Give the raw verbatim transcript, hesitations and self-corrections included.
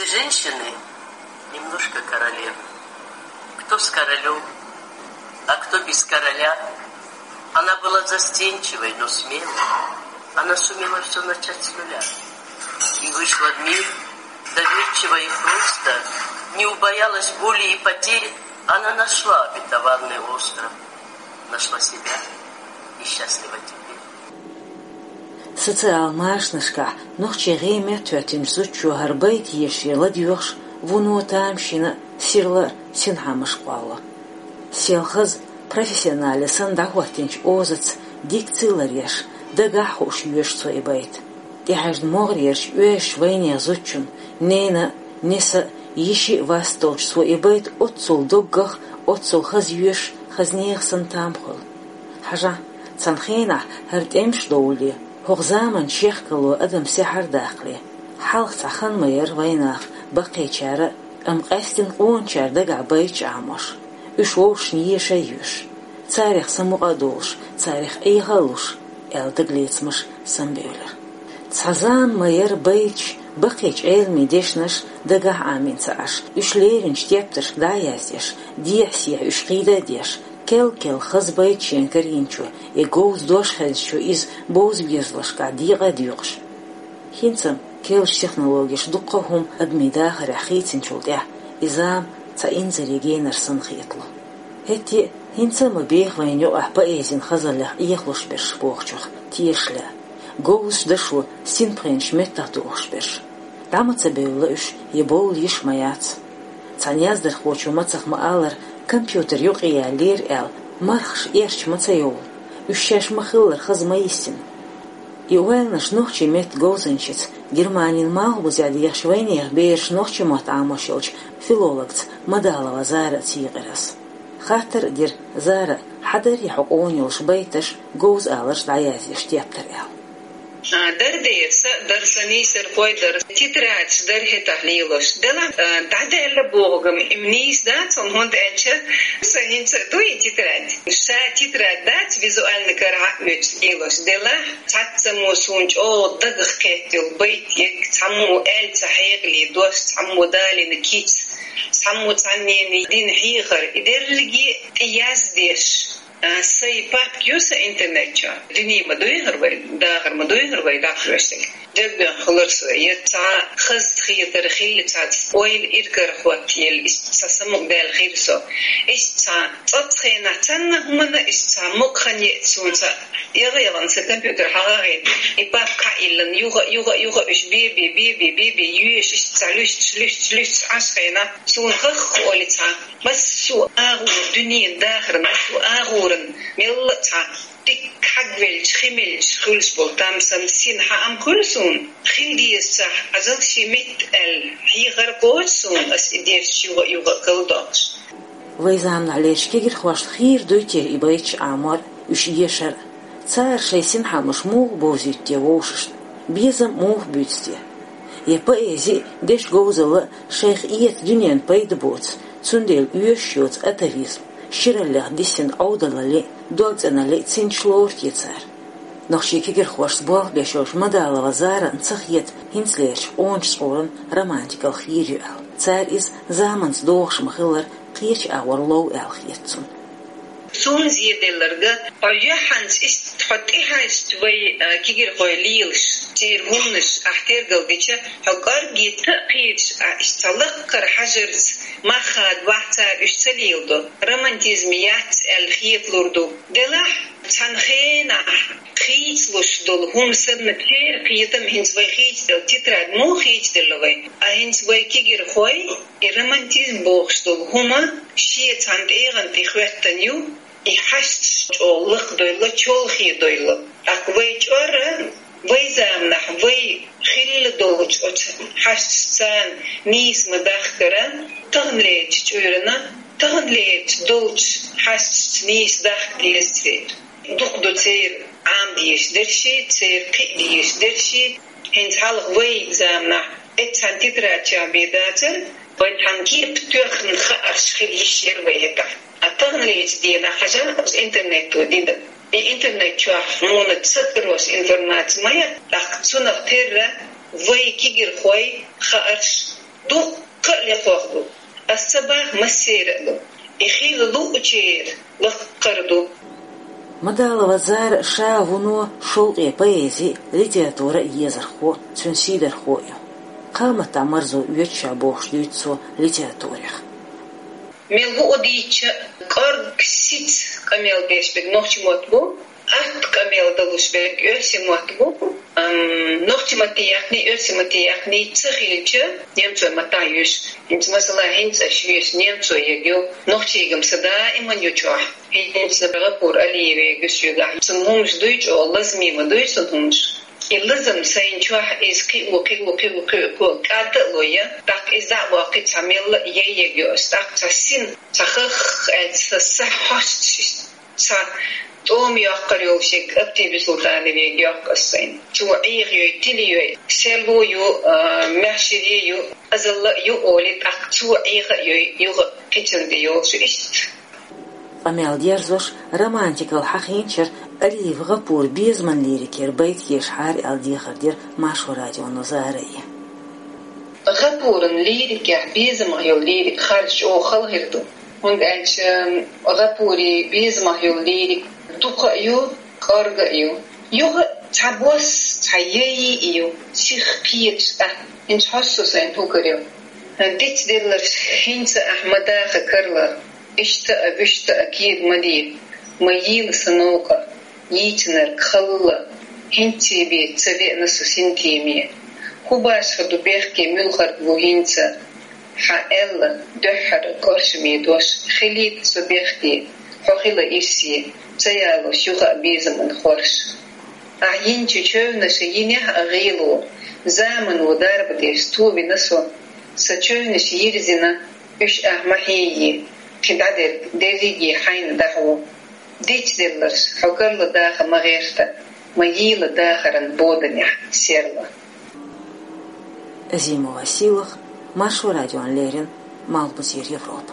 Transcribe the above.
Женщины немножко королевы. Кто с королем, а кто без короля. Она была застенчивой, но смелой. Она сумела все начать с нуля. И вышла в мир доверчиво и просто, не убоялась боли и потерь. Она нашла обетованный остров, нашла себя и счастлива теперь. Социалан машанашкахь нохчийн гӀеметтахӀоьттинчу зудчо хӀара байт ешаре ладоьгӀуш, вуно тамашийна, сирла а синхьамаш кхоллало. Сел хаза, профессионале санна дӀахӀоттийначу озаца дикци ларъеш, дагахь а хууш йоьшу цо и байт. ТӀехьаьжна могӀарерчу оьшучу вайнехан зудчун, ненан а, несан а, йишин а вас долчу цо и байт оццул доггах, оццул хаза йоьшуш, хаза нехан санна там хуьлу. Хьажахь, цхьана хенахь хӀара тӀемаш довлале, хӀокху заманан чехкало адам сехьар а даккхале, хьалха цхьа хан ма яра вайнах баккхийчара а, амма къаьсттина къоначара дагахь байташ Ӏамош, уьш вовшашна еша а йоьшуш, царах самукъа а долуш, царах Ӏеха а луш, аьлла дагалецамаш самабевлира. Цхьа зама ма яра байташ, баккхийчу Ӏеламийн дешнаш дагахь а Ӏамийна ца Ӏаш, уьш леринчу тептаршка дӀа а яздеш, дехьа-сехьа уьш кхийда а деш, кел-кел хаза байт шена карийначо я говза дош хезначо иза бовза безамашкахь декъа а доькъуш. ХӀинца-м керлачу технологеша дуккха а хӀума адамийн дахарехь хийцинчул тӀаьхьа, и зама цхьа инзаре генара санна хетало. ХӀетте а, хӀинца а ма беха вайна юкъахь поэзин хазаллех Ӏехалуш берш бохучух тешаш лаьа. Говзачу дашо синпхенаш меттах дохуш берш. ДӀа ма ца бевлла уьш, я бовла йиш ма яц. Цхьана яздархочо мацах ма-аллара, компьютер юкъе яьллера аьлла, мархаш эрча ма ца йовлу, уьш шаьш ма-хиллара хаза ма йисина. И ойланаш нохчийн меттан говзанчица, Германин Мауглизехь дехаш вайнехан бераш нохчийн мотт Ӏамош йолчу филологца Мадалова Зара а цийкъира ас. Хаттар а дира Зара, хьан дарий хьо къона йолуш байташ, говза аларш дӀаяздеш тептар аьлла. А, дара дера, сан а дара, сан нийсархой а дара, тетрадаш дара хӀетахь лелош. Делахь, а, дӀадаьлла бохург-м и нийса дац хьуна, хӀунда аьлча сан хӀинца а ду и тетрадь. Ша тетрадь дац, визуальный карахь а оьцуш лелош. Делахь, цхьаццаммо суна чӀогӀа дагах кхетта йолу байт ерг, цхьаммо аьлла ца хьекъале дош, цхьаммо далийна кица, цхьаммо цхьаннена дина хьехар, и дерриге а тӀеяздеш. А, сайн папка ю сан интернет чохь. Дуьне ма дуй хӀара вай, дахар ма дуй хӀара вай, дӀахьоьжуш дерг. Дерг дуьйна хилар со. Я цхьа хаза хетар хилла, цхьа ойла иргар хӀоттаелла, иштта цхьа самукъадаьлла хир со. Иштта цхьа цӀоццу хенахь цхьанна хӀуманна иштта цхьа мукъа хан еъча суна цхьа, яла-ялан сан компьютер хьагӀагӀийна, и папка хьаиллина, юха, юха, юха уьш бе-бе, бе-бе, бе-бе, йоьшуш, иштта цхьа луьстуш, луьстуш, луьстуш Ӏаш хенахь, суна хӀахха олу цхьа. Массо а агӀор, дуьненан дахаран массо а агӀоран мелла а цхьа дика хьагвелча, хи мелча хуьлуш болу там сан син хьаам хуьлу суна. Хила дезачохь, хьажал шен метта аьлла, хьехар кхочу суна, ас и дерш юха а, юха а кхалдоккхуш. Вай заманахь лерчу кегирхошна хийра дуй те и байташ Ӏамор а, уьш ешар а? Цара шайн синхьамаш муха бовзуьйту те вовшашна? Безам муха буьйцу те? Я поэзи а, дешан говзалла а шайх эца дуьненна пайда боцу, цундела оьшуш йоцу атавизм, шираллех диссина Ӏовдалалли а, догцӀеналли а цинташ лору те цара? Нохчийн кегирхошца болх беш йолчу Мадалова Зарана ца хета хӀинцалерчу къоначу цӀоран романтикалла хийра ю аьлла. Цара иза заманца догӀуш ма-хиллара кхечу агӀор лов аьлла хета цунна. Суна зеделларг, хьо юьхьанца иштта хьо тӀехьаьжча вай, а, кегирхой лелаш, церан хӀуманаш ахь тергал дича, хьо кӀорггетта а кхеташ, а, иштта цхьа лакхара хьажарца мах хадавахь, цара уьш ца леладо. Романтизм яц аьлла хеталур ду. Делахь, цхьана хенахь хийцалуш долу хӀума санна, церан кхетам хӀинца вай хийцаделла, тетрадь муха хийцаделла вай? А хӀинца вай кегирхой, и романтизм бохуш долу хӀума шен цхьана тӀегӀан тӀе хӀоьттина ю, и хьашташ чӀогӀа лакхадойла, чолхедойла. ТӀаккха вай чӀора, вай заманахь, вай хилла долчу оцу хьашташца нийса ма дахкара, таханлерчу чкъурана, таханлерчу долчу хьашташца нийса дахка деза церан. Дукха ду церан Ӏамадеш дерши, церан кхиадеш дерши. ХӀинца хьалха вай заманахь эццхьана тетрадь чам бен дацара, вайн цхьана кепа тоьхна хаарш хила йиш яра вай хӀетахь. А таханлерчу дийнахь хьажал, оцу интернето дина. И интернет чохь хьуна ца карош информаци ма яц, тӀаккха цунах терра вай кегирхой хаарш Дуккха а лекхох ду. Ас ца бах массера а ду. И хила луучера лакхара ду. Мадалова Зара ша вуно шовкъе поэзи, литература езархо, цун сийдархо ю. Кхамата марзо оьцуша бохуш дуьйцу цо литературех. Мел ву о дийча, кӀорг сиц къамел деш берг нохчи мотт бу, атта къамел далуш берг оьрси мотт бу. Ам, нохчи матте яхни, оьрси матте яхни ца хилча, немцой матта юш. ХӀинца масала хӀинца аш юш немцой ягю, нохчигам са даиман ю чохь. ХӀинца Гапур Алиеве гуш югахь. Цун хӀумаш дуй чӀо, лазми ма дуй цун хӀумаш. И лазам сайн чохь иза кхиу, кхиу, кхиу, кхиу, кхиу, кӀадда а лой я, тӀаккха иза дӀа а боккхи цхьа мелла а яй ягю ас, тӀаккха цхьа син, цхьа хах аьлла, са хьосташ. Цхьа тӀома йоккхур йолу шег Аптиби Султанове йоккху ас сайна. Цо Ӏеха йой, тили йой, серло ю, а, маьхшире ю, азалла а ю олий, тӀаккха цо Ӏеха а йой, юха кхечунде йолуш иштта. Къамел дерзош, романтикал хьахийнчара Алиев Гапур безаман лирикера байт ешахьара аьлла дехар дира Маршо радионо Зарае. Гапуран лирикехь безамах йолу лирика харжа чӀогӀа хала хир ду. ХӀунда аьлча Гапури безамах йолу лирик дукха а ю, кӀорга а ю. Юха цхьа бос, цхьа яй а ю, сих кхеташ а, хӀинца хьоссо сайн хӀукарел. Дицделларш хӀинца ахь ма даха карла, иштта а, вуьшта а кийра ма де, ма йийла сан новкъа. Йийцинарг халла, хӀинций бен ца веана со синтеме. ХӀун башха ду бехке муьлхарг ву хӀинца? Хьан аьлла, дуьххьара коршаме дош, хилийта со бехке, хьо хила ирсе, ца ялош юха а безаман хорш. Ахь йинчу чевнаша йинехь а гӀийло, замано дарба деш товина со. Сан чевнаш йирзина, уьш ахь ма хьийе, кхин дӀадерг дерриге хьайна дӀахьо. Дицделларш, хьо карла даха ма гӀерта, ма йийла дахаран боданехь серла. Азимова Сийлаха, Маршо радиона леррина, Малхбузера Европа.